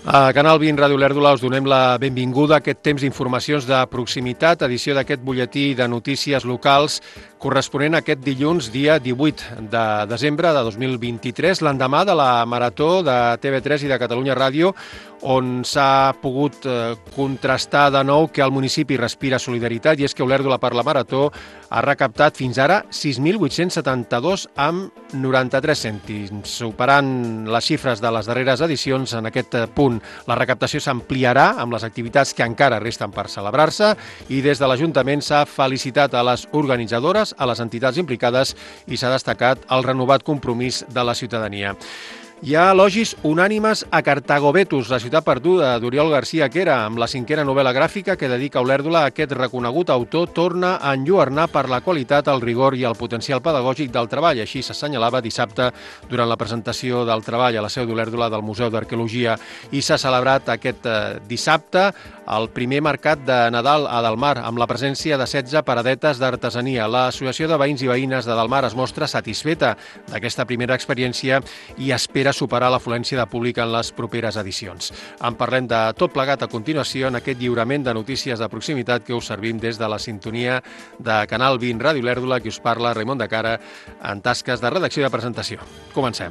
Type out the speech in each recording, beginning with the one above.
A Canal 20 Ràdio Olèrdola us donem la benvinguda a aquest temps d'informacions de proximitat, edició d'aquest butlletí de notícies locals corresponent a aquest dilluns, dia 18 de desembre de 2023, l'endemà de la Marató de TV3 i de Catalunya Ràdio, on s'ha pogut contrastar de nou que el municipi respira solidaritat, i és que Olèrdola per la Marató ha recaptat fins ara 6.872,93 cèntims, superant les xifres de les darreres edicions en aquest punt. La recaptació s'ampliarà amb les activitats que encara resten per celebrar-se i des de l'Ajuntament s'ha felicitat a les organitzadores, a les entitats implicades i s'ha destacat el renovat compromís de la ciutadania. Hi ha elogis unànimes a Cartago Vetus, la ciutat perduda, d'Oriol García Quera, amb la 5a novel·la gràfica que dedica Olèrdola a aquest reconegut autor, torna a enlluernar per la qualitat, el rigor i el potencial pedagògic del treball. Així s'assenyalava dissabte durant la presentació del treball a la seu d'Olèrdola del Museu d'Arqueologia, i s'ha celebrat aquest dissabte el primer mercat de Nadal a Delmar, amb la presència de 16 paradetes d'artesania. L'Associació de Veïns i Veïnes de Delmar es mostra satisfeta d'aquesta primera experiència i espera superar l'afluència de públic en les properes edicions. En parlem de tot plegat a continuació en aquest lliurament de notícies de proximitat que us servim des de la sintonia de Canal 20 Ràdio Olèrdola, que us parla Raimon de Cara en tasques de redacció i de presentació. Comencem.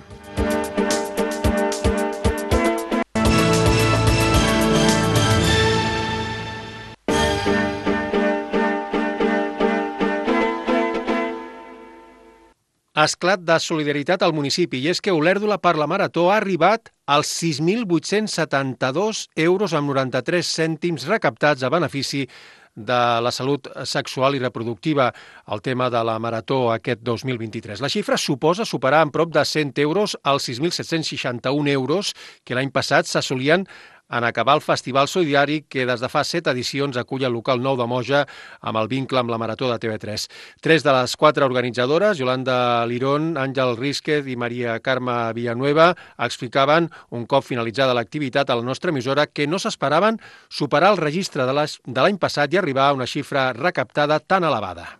Esclat de solidaritat al municipi, i és que Olèrdola per la Marató ha arribat als 6.872,93 € recaptats a benefici de la salut sexual i reproductiva, el tema de la Marató aquest 2023. La xifra suposa superar en prop de 100 euros els 6.761 euros que l'any passat s'assolien en acabar el Festival Solidari que des de fa 7 edicions acull el local nou de Moja amb el vincle amb la Marató de TV3. 3 de les 4 organitzadores, Yolanda Lirón, Àngel Rísquez i Maria Carme Villanueva, explicaven, un cop finalitzada l'activitat a la nostra emissora, que no s'esperaven superar el registre de l'any passat i arribar a una xifra recaptada tan elevada.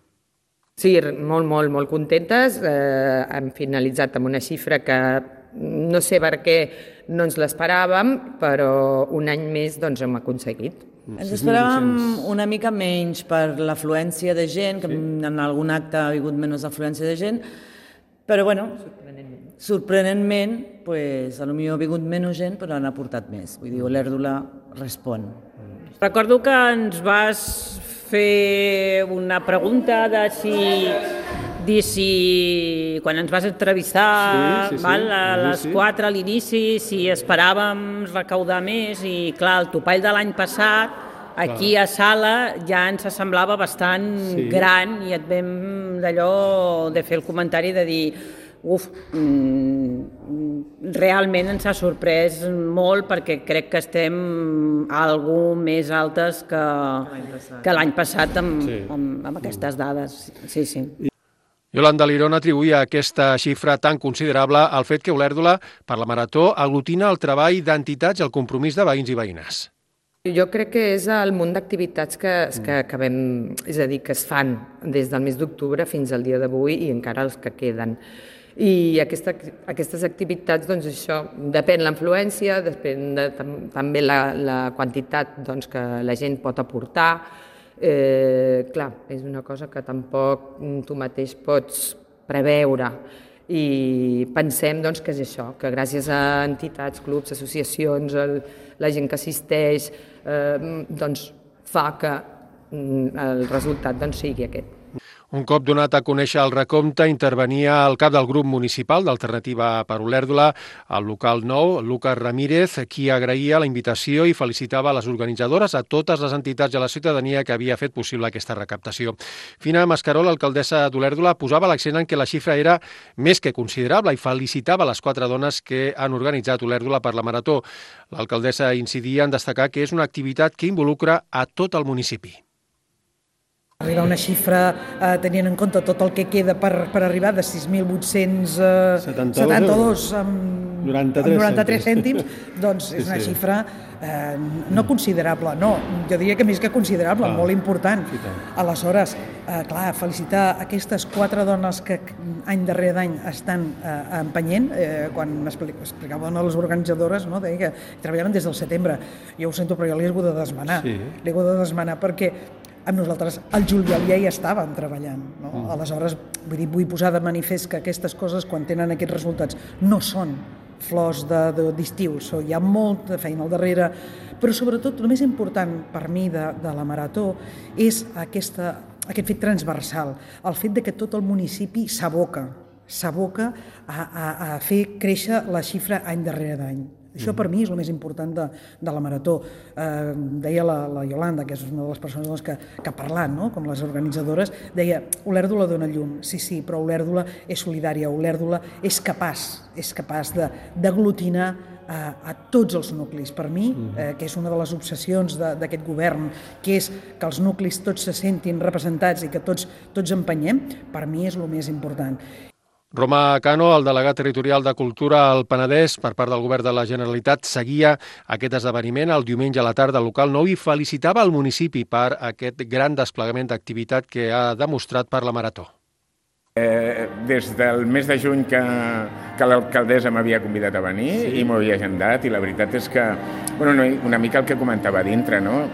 Sí, molt contentes. Hem finalitzat amb una xifra que no sé per què no ens l'esperàvem, però un any més doncs hem aconseguit. Ens esperàvem una mica menys per l'afluència de gent, que en algun acte ha hagut menys afluència de gent, però bueno, sorprenentment, potser ha vingut menys gent, però han aportat més. Vull dir, Olèrdola respon. Recordo que ens vas fer una pregunta de si quan ens vas entrevistar a les 4 a l'inici, si esperàvem recaudar més, i clar, el topall de l'any passat aquí a Sala ja ens semblava bastant gran, i et vam d'allò de fer el comentari de dir realment ens ha sorprès molt, perquè crec que estem algo més altes que l'any passat amb aquestes dades. Sí. Yolanda Lirón atribuïa aquesta xifra tan considerable al fet que Olèrdola per la Marató aglutina el treball d'entitats i el compromís de veïns i veïnes. Jo crec que és el munt d'activitats que acabem, és a dir, que es fan des del mes d'octubre fins al dia d'avui i encara els que queden. I aquestes activitats, doncs això, depèn l'afluència, depèn també la quantitat que la gent pot aportar. Clar, és una cosa que tampoc tu mateix pots preveure, i pensem que és això, que gràcies a entitats, clubs, associacions, la gent que assisteix, fa que el resultat sigui aquest. Un cop donat a conèixer el recompte, intervenia el cap del grup municipal d'Alternativa per Olèrdola, el local nou, Lucas Ramírez, qui agraïa la invitació i felicitava les organitzadores, a totes les entitats i a la ciutadania que havia fet possible aquesta recaptació. Fina Mascaró, l'alcaldessa d'Olèrdola, posava l'accent en que la xifra era més que considerable i felicitava les 4 dones que han organitzat Olèrdola per la Marató. L'alcaldessa incidia en destacar que és una activitat que involucra a tot el municipi. Arribar a una xifra, tenint en compte tot el que queda per arribar, de 6.872 amb 93 cèntims, doncs és una xifra no considerable, no, jo diria que més que considerable, molt important. Aleshores, clar, felicitar aquestes 4 dones que any darrere d'any estan empenyent, quan m'explicava una de les organitzadores, no, deia que treballaven des del setembre. Jo ho sento, però jo l'he hagut de desmanar. L'he hagut de desmanar perquè amb nosaltres al juliol ja hi estàvem treballant. No? Aleshores, vull posar de manifest que aquestes coses, quan tenen aquests resultats, no són flors d'estiu, hi ha molta feina al darrere, però sobretot el més important per mi de la marató és aquest fet transversal, el fet que tot el municipi s'aboca a fer créixer la xifra any darrere d'any. Això per mi és el més important de la marató. Deia la Iolanda, que és una de les persones que ha parlat, no? Com les organitzadores, deia, Olèrdola dona llum, sí, però Olèrdola és solidària, Olèrdola és capaç d'aglutinar a tots els nuclis. Per mi, que és una de les obsessions d'aquest govern, que és que els nuclis tots se sentin representats i que tots empenyem, per mi és el més important. Romà Cano, el delegat territorial de Cultura al Penedès per part del Govern de la Generalitat, seguia aquest esdeveniment el diumenge a la tarda al local 9 i felicitava el municipi per aquest gran desplegament d'activitat que ha demostrat per la marató. Des del mes de juny que l'alcaldessa m'havia convidat a venir i m'ho havia agendat, i la veritat és que, una mica el que comentava dintre, no?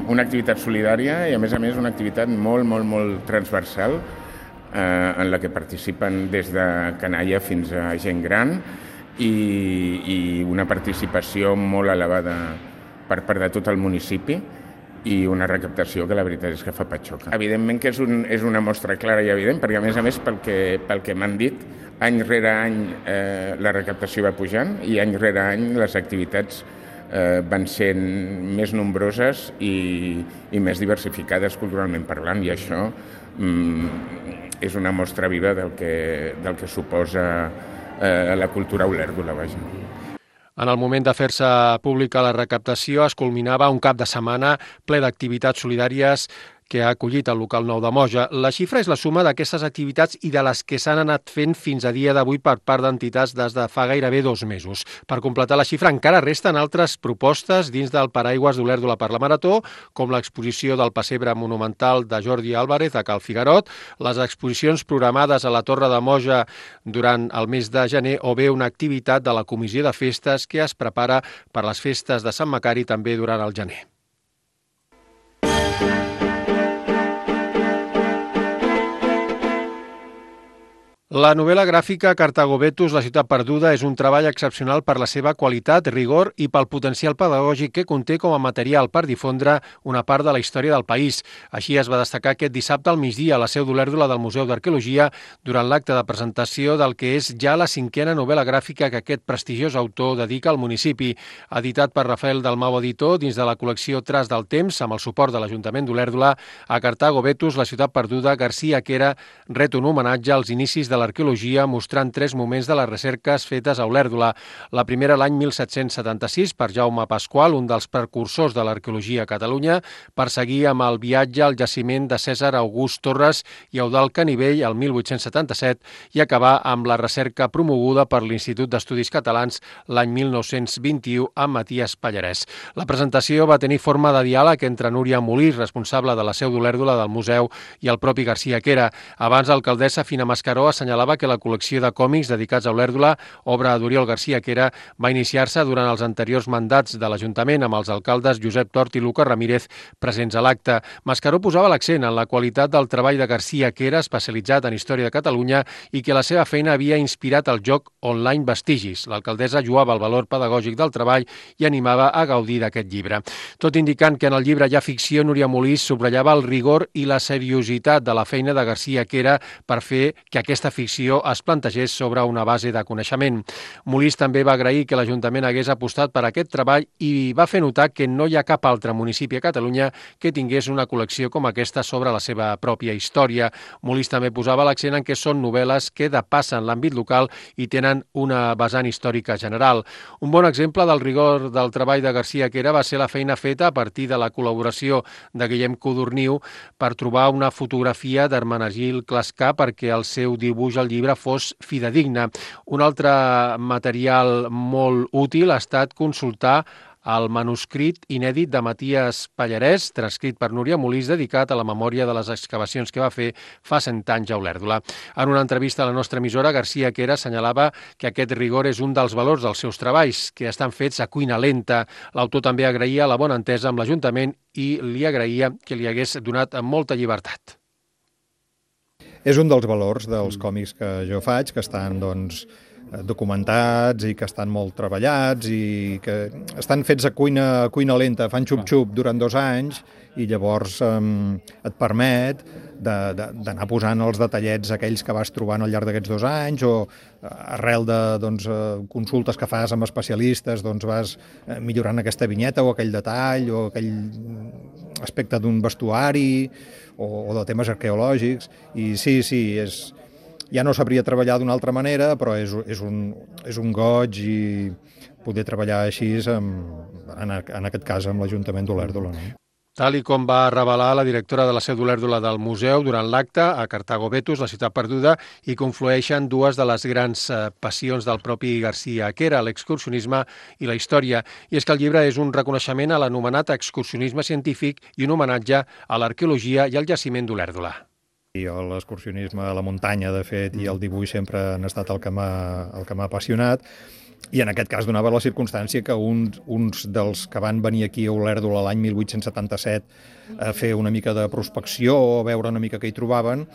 Una activitat solidària i a més una activitat molt transversal, en la que participen des de canalla fins a gent gran i una participació molt elevada per part de tot el municipi i una recaptació que la veritat és que fa patxoca. Evidentment que és una mostra clara i evident, perquè a més pel que m'han dit, any rere any la recaptació va pujant i any rere any les activitats van sent més nombroses i més diversificades culturalment parlant, i això és una mostra viva del que suposa la cultura olèrdola, vaja. En el moment de fer-se pública la recaptació es culminava un cap de setmana ple d'activitats solidàries que ha acollit el local 9 de Moja. La xifra és la suma d'aquestes activitats i de les que s'han anat fent fins a dia d'avui per part d'entitats des de fa gairebé 2 mesos. Per completar la xifra encara resten altres propostes dins del paraigües d'Olèrdola per la Marató, com l'exposició del pessebre monumental de Jordi Álvarez a Cal Figarot, les exposicions programades a la Torre de Moja durant el mes de gener o bé una activitat de la Comissió de Festes que es prepara per les festes de Sant Macari també durant el gener. La novel·la gràfica Cartago Vetus, la ciutat perduda, és un treball excepcional per la seva qualitat, rigor i pel potencial pedagògic que conté com a material per difondre una part de la història del país. Així es va destacar aquest dissabte al migdia a la seu d'Olèrdola del Museu d'Arqueologia durant l'acte de presentació del que és ja la 5a novel·la gràfica que aquest prestigiós autor dedica al municipi. Editat per Rafael Dalmau Editor dins de la col·lecció Tras del Temps, amb el suport de l'Ajuntament d'Olèrdola, a Cartago Vetus, la ciutat perduda, García Quera ret un homenatge als inicis de l'arqueologia mostrant 3 moments de les recerques fetes a Olèrdola. La primera l'any 1776 per Jaume Pasqual, un dels precursors de l'arqueologia a Catalunya, per seguir amb el viatge al jaciment de Cèsar August Torres i Eudald Canivell el 1877 i acabar amb la recerca promoguda per l'Institut d'Estudis Catalans l'any 1921 amb Matías Pallarès. La presentació va tenir forma de diàleg entre Núria Molí, responsable de la seu d'Olèrdola del museu, i el propi García Quera. Abans, l'alcaldessa Fina Mascaró assenyalava que la col·lecció de còmics dedicats a Olèrdola, obra d'Oriol García Quera, va iniciar-se durant els anteriors mandats de l'Ajuntament amb els alcaldes Josep Tort i Lucas Ramírez presents a l'acte. Mascaró posava l'accent en la qualitat del treball de García Quera, especialitzat en història de Catalunya, i que la seva feina havia inspirat el joc online Vestigis. L'alcaldessa lloava el valor pedagògic del treball i animava a gaudir d'aquest llibre. Tot indicant que en el llibre hi ha ficció, Núria Molís subratllava el rigor i la seriositat de la feina de García Quera per fer que aquesta ficció es plantegés sobre una base de coneixement. Molist també va agrair que l'Ajuntament hagués apostat per aquest treball i va fer notar que no hi ha cap altre municipi a Catalunya que tingués una col·lecció com aquesta sobre la seva pròpia història. Molist també posava l'accent en que són novel·les que depassen l'àmbit local i tenen una vessant històrica general. Un bon exemple del rigor del treball de Garcia Quera va ser la feina feta a partir de la col·laboració de Guillem Codorniu per trobar una fotografia d'Hermenegildo Clascar perquè el seu dibuix al llibre fos fidedigna. Un altre material molt útil ha estat consultar el manuscrit inèdit de Matías Pallarès, transcrit per Núria Molist, dedicat a la memòria de les excavacions que va fer fa 100 anys a Olèrdola. En una entrevista a la nostra emissora, Garcia Quera assenyalava que aquest rigor és un dels valors dels seus treballs, que estan fets a cuina lenta. L'autor també agraïa la bona entesa amb l'Ajuntament i li agraïa que li hagués donat molta llibertat. És un dels valors dels còmics que jo faig, que estan, documentats i que estan molt treballats i que estan fets a cuina lenta, fan xup-xup durant 2 anys i llavors et permet d'anar posant els detallets aquells que vas trobant al llarg d'aquests 2 anys o arrel de consultes que fas amb especialistes vas millorant aquesta vinyeta o aquell detall o aquell aspecte d'un vestuari o de temes arqueològics i sí, ja no sabria treballar d'una altra manera, però és un goig i poder treballar així, en aquest cas, amb l'Ajuntament d'Olèrdola. No? Tal i com va revelar la directora de la seu d'Olèrdola del museu durant l'acte, a Cartago Betus, la ciutat perduda, hi conflueixen 2 de les grans passions del propi Garcia Quera, l'excursionisme i la història. I és que el llibre és un reconeixement a l'anomenat excursionisme científic i un homenatge a l'arqueologia i al jaciment d'Olèrdola. L'excursionisme a la muntanya, de fet, i el dibuix sempre han estat el que m'ha apassionat. I en aquest cas donava la circumstància que uns dels que van venir aquí a Olèrdola l'any 1877 a fer una mica de prospecció o a veure una mica què hi trobaven,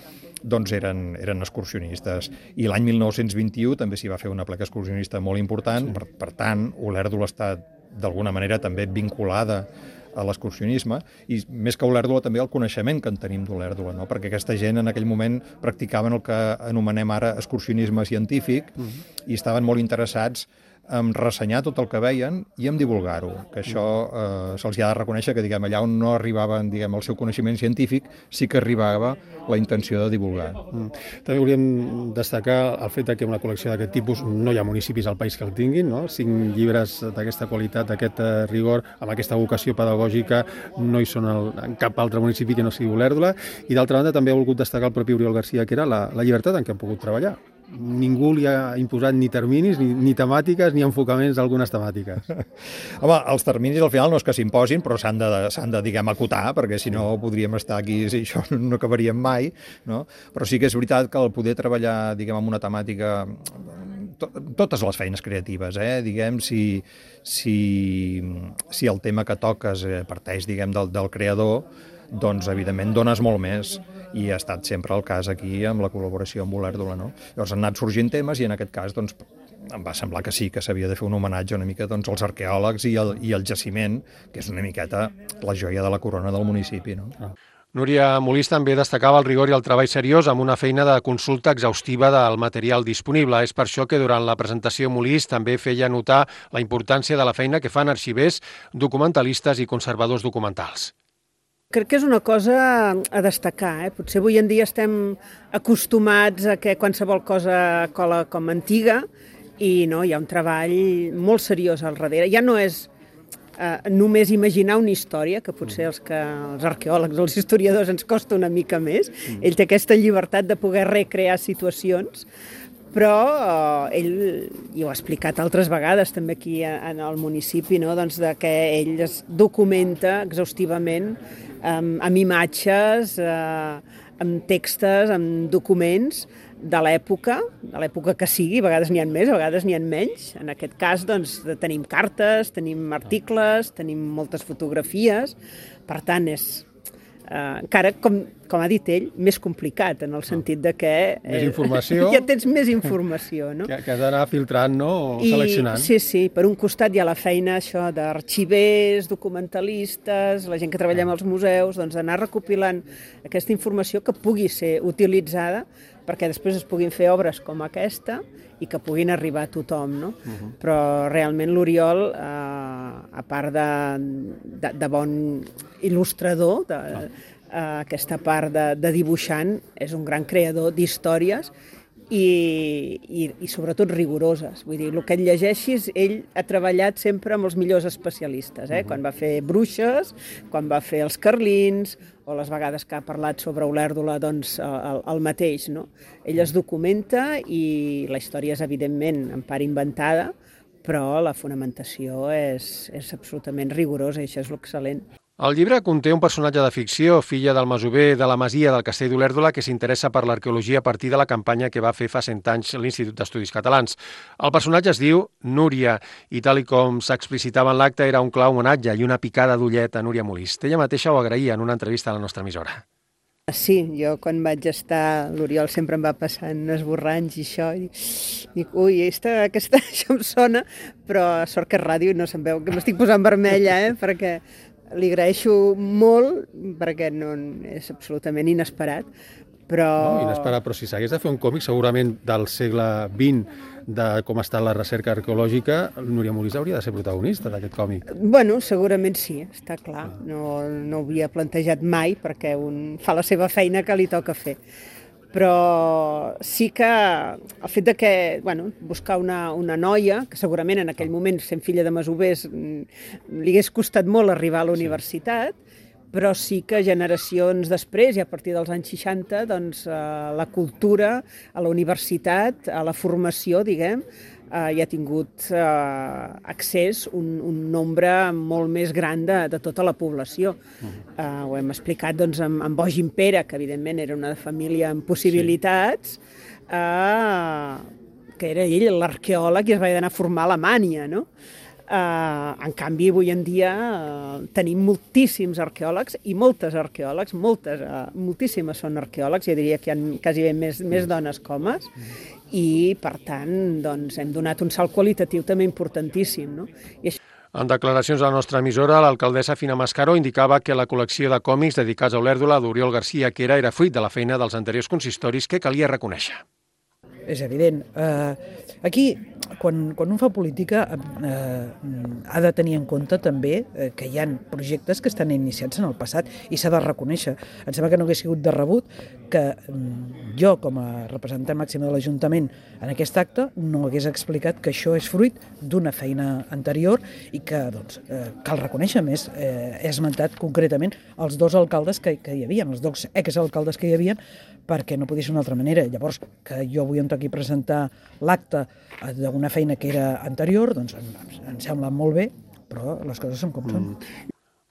doncs eren excursionistes. I l'any 1921 també s'hi va fer una placa excursionista molt important, per tant, Olèrdola està d'alguna manera també vinculada a l'excursionisme i més que Olèrdola també el coneixement que en tenim d'Olèrdola, no? Perquè aquesta gent en aquell moment practicaven el que anomenem ara excursionisme científic i estaven molt interessats en ressenyar tot el que veien i en divulgar-ho, que això se'ls ha de reconèixer que allà on no arribaven el seu coneixement científic sí que arribava la intenció de divulgar. També volíem destacar el fet que una col·lecció d'aquest tipus no hi ha municipis al país que el tinguin, no? 5 llibres d'aquesta qualitat, d'aquest rigor, amb aquesta vocació pedagògica, no hi són en cap altre municipi que no sigui Olèrdola. I d'altra banda també ha volgut destacar el propi Oriol Garcia, que era la llibertat en què han pogut treballar. Ningú li ha imposat ni terminis, ni temàtiques, ni enfocaments d'algunes temàtiques. Home, els terminis al final no és que s'imposin, però s'han de acotar, perquè si no podríem estar aquí i això no acabaríem mai, no? Però sí que és veritat que el poder treballar, amb una temàtica, totes les feines creatives, si el tema que toques parteix, del creador, doncs, evidentment, dones molt més i ha estat sempre el cas aquí amb la col·laboració amb Olèrdola, no? Llavors han anat sorgint temes i en aquest cas, doncs, em va semblar que sí, que s'havia de fer un homenatge una mica als arqueòlegs i el jaciment, que és una miqueta la joia de la corona del municipi, no? Núria Molist també destacava el rigor i el treball seriós amb una feina de consulta exhaustiva del material disponible. És per això que durant la presentació Molist també feia notar la importància de la feina que fan arxivers, documentalistes i conservadors documentals. Crec que és una cosa a destacar. Potser avui en dia estem acostumats a que qualsevol cosa cola com antiga i no, hi ha un treball molt seriós al darrere. Ja no és només imaginar una història, que potser els arqueòlegs, els historiadors ens costa una mica més. Ell té aquesta llibertat de poder recrear situacions, però ell, i ho ha explicat altres vegades també aquí en el municipi, no? Doncs que ell es documenta exhaustivament amb imatges, amb textos, amb documents de l'època que sigui, a vegades n'hi ha més, a vegades n'hi ha menys. En aquest cas, doncs, tenim cartes, tenim articles, tenim moltes fotografies, per tant, encara, com ha dit ell, més complicat, en el sentit de que... Més informació. Ja tens més informació, no? Que has d'anar filtrant, no? O seleccionant. Sí, per un costat hi ha la feina això d'arxivers, documentalistes, la gent que treballa als museus, doncs d'anar recopilant aquesta informació que pugui ser utilitzada perquè després es puguin fer obres com aquesta i que puguin arribar a tothom, no? Però realment l'Oriol, a part de bon il·lustrador, aquesta part de dibuixant, és un gran creador d'històries i sobretot rigoroses. Vull dir, el que et llegeixis, ell ha treballat sempre amb els millors especialistes, quan va fer Bruixes, quan va fer els Carlins, o les vegades que ha parlat sobre Olèrdola, doncs el mateix, no? Ell es documenta i la història és, evidentment, en part inventada, però la fonamentació és absolutament rigorosa i això és l'excel·lent. El llibre conté un personatge de ficció, filla del masover de la masia del Castell d'Olèrdola, que s'interessa per l'arqueologia a partir de la campanya que va fer fa 100 anys l'Institut d'Estudis Catalans. El personatge es diu Núria i, tal com s'explicitava en l'acte, era un clar homenatge i una picada d'ullet a Núria Molist. Ella mateixa ho agraïa en una entrevista a la nostra emissora. Sí, jo quan vaig estar, l'Oriol sempre em va passant esborranys i això, i dic, ui, aquesta això em sona, però sort que és ràdio i no se'm veu, que m'estic posant vermella, perquè li agraeixo molt, perquè no, és absolutament inesperat, però... No, inesperat, però si s'hagués de fer un còmic segurament del segle XX, de com està la recerca arqueològica, Núria Molist hauria de ser protagonista d'aquest còmic. Bueno, segurament sí, està clar. No ho havia plantejat mai, perquè un fa la seva feina que li toca fer. Però sí que el fet de que, buscar una noia, que segurament en aquell moment, sent filla de masovers, li hagués costat molt arribar a la universitat, però sí que generacions després, i a partir dels anys 60, doncs la cultura, a la universitat, a la formació, diguem, hi ha tingut accés un nombre molt més gran de tota la població. Ho hem explicat doncs, amb Bogin Pere, que evidentment era una família amb possibilitats, que era ell l'arqueòleg i es va anar a formar a Alemanya, no? En canvi, avui en dia tenim moltíssims arqueòlegs i moltes arqueòlegs, moltíssimes són arqueòlegs, jo diria que hi ha quasi més dones que homes, i per tant doncs, hem donat un salt qualitatiu també importantíssim, no? I això... En declaracions a la nostra emissora, l'alcaldessa Fina Mascaró indicava que la col·lecció de còmics dedicats a Olèrdola d'Oriol García Quera era fruit de la feina dels anteriors consistoris que calia reconèixer. És evident. Aquí, quan un fa política, ha de tenir en compte també que hi ha projectes que estan iniciats en el passat i s'ha de reconèixer. Em sembla que no hagués sigut de rebut que jo, com a representant màxim de l'Ajuntament en aquest acte, no hagués explicat que això és fruit d'una feina anterior i que cal reconèixer més. He esmentat concretament els dos alcaldes que hi havia, els dos exalcaldes que hi havia, perquè no podia ser d'una altra manera. Llavors, que jo avui em toqui presentar l'acte d'una feina que era anterior, doncs em sembla molt bé, però les coses són com són.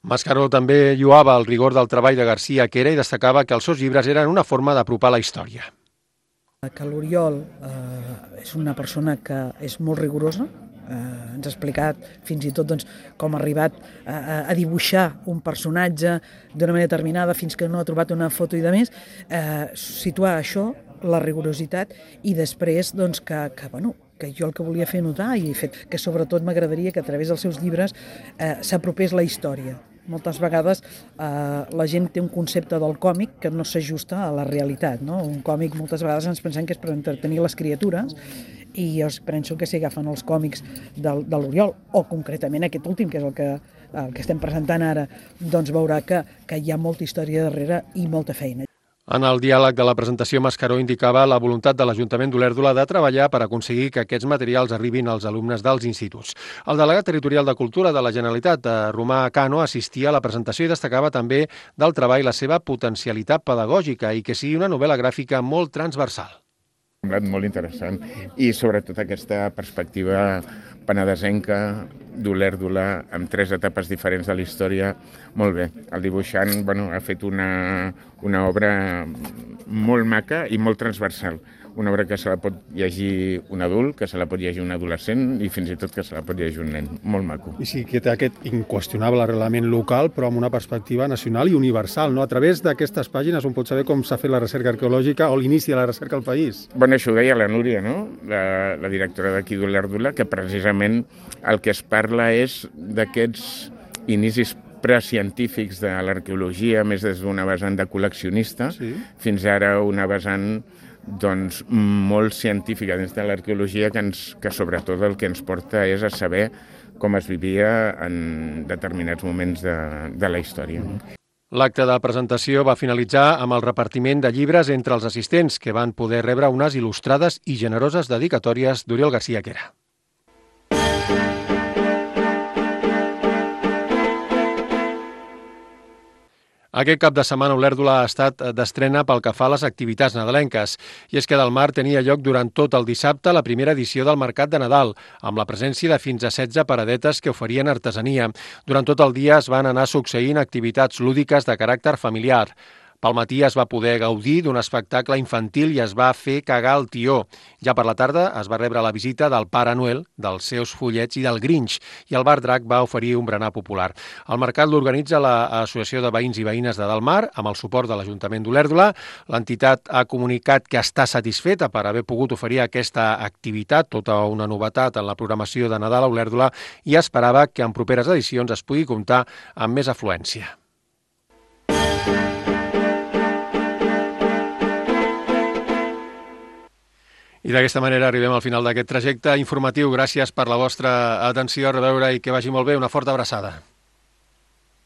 Mascaró també lloava el rigor del treball de García Quera i destacava que els seus llibres eren una forma d'apropar la història. Que l'Oriol és una persona que és molt rigorosa, ens ha explicat fins i tot com ha arribat a dibuixar un personatge d'una manera determinada fins que no ha trobat una foto i de més, situar això, la rigorositat, i després que jo el que volia fer notar i que sobretot m'agradaria que a través dels seus llibres s'apropés la història. Moltes vegades la gent té un concepte del còmic que no s'ajusta a la realitat, no? Un còmic moltes vegades ens pensem que és per entretenir les criatures i jo penso que si agafen els còmics de l'Oriol, o concretament aquest últim, que és el que estem presentant ara, doncs veurà que hi ha molta història darrere i molta feina. En el diàleg de la presentació, Mascaró indicava la voluntat de l'Ajuntament d'Olèrdola de treballar per aconseguir que aquests materials arribin als alumnes dels instituts. El delegat territorial de Cultura de la Generalitat, Romà Cano, assistia a la presentació i destacava també del treball la seva potencialitat pedagògica i que sigui una novel·la gràfica molt transversal. M'ha semblat molt interessant i sobretot aquesta perspectiva penedesenca d'Olèrdola amb 3 etapes diferents de la història, molt bé. El dibuixant ha fet una obra molt maca i molt transversal. una obra que se la pot llegir un adult, que se la pot llegir un adolescent i fins i tot que se la pot llegir un nen. Molt maco. I sí que té aquest inqüestionable arrelament local, però amb una perspectiva nacional i universal, no? A través d'aquestes pàgines on pots saber com s'ha fet la recerca arqueològica o l'inici de la recerca al país. Bueno, això ho deia la Núria, no? La directora d'aquí d'Olèrdula, que precisament el que es parla és d'aquests inicis precientífics de l'arqueologia, més des d'una vessant de col·leccionista, fins ara una vessant doncs, molt científica dins de l'arqueologia que sobretot el que ens porta és a saber com es vivia en determinats moments de la història. L'acte de presentació va finalitzar amb el repartiment de llibres entre els assistents, que van poder rebre unes il·lustrades i generoses dedicatòries d'Oriol García Quera. Aquest cap de setmana Olèrdola ha estat d'estrena pel que fa a les activitats nadalenques. I és que del Mar tenia lloc durant tot el dissabte la primera edició del Mercat de Nadal, amb la presència de fins a 16 paradetes que oferien artesania. Durant tot el dia es van anar succeint activitats lúdiques de caràcter familiar. Pel matí es va poder gaudir d'un espectacle infantil i es va fer cagar el tió. Ja per la tarda es va rebre la visita del Pare Noel, dels seus follets i del Grinch, i el Bar Drac va oferir un berenar popular. El mercat l'organitza l'Associació de Veïns i Veïnes de Delmar, amb el suport de l'Ajuntament d'Olèrdola. L'entitat ha comunicat que està satisfeta per haver pogut oferir aquesta activitat, tota una novetat en la programació de Nadal a Olèrdola, i esperava que en properes edicions es pugui comptar amb més afluència. I d'aquesta manera arribem al final d'aquest trajecte informatiu. Gràcies per la vostra atenció, a reveure i que vagi molt bé. Una forta abraçada.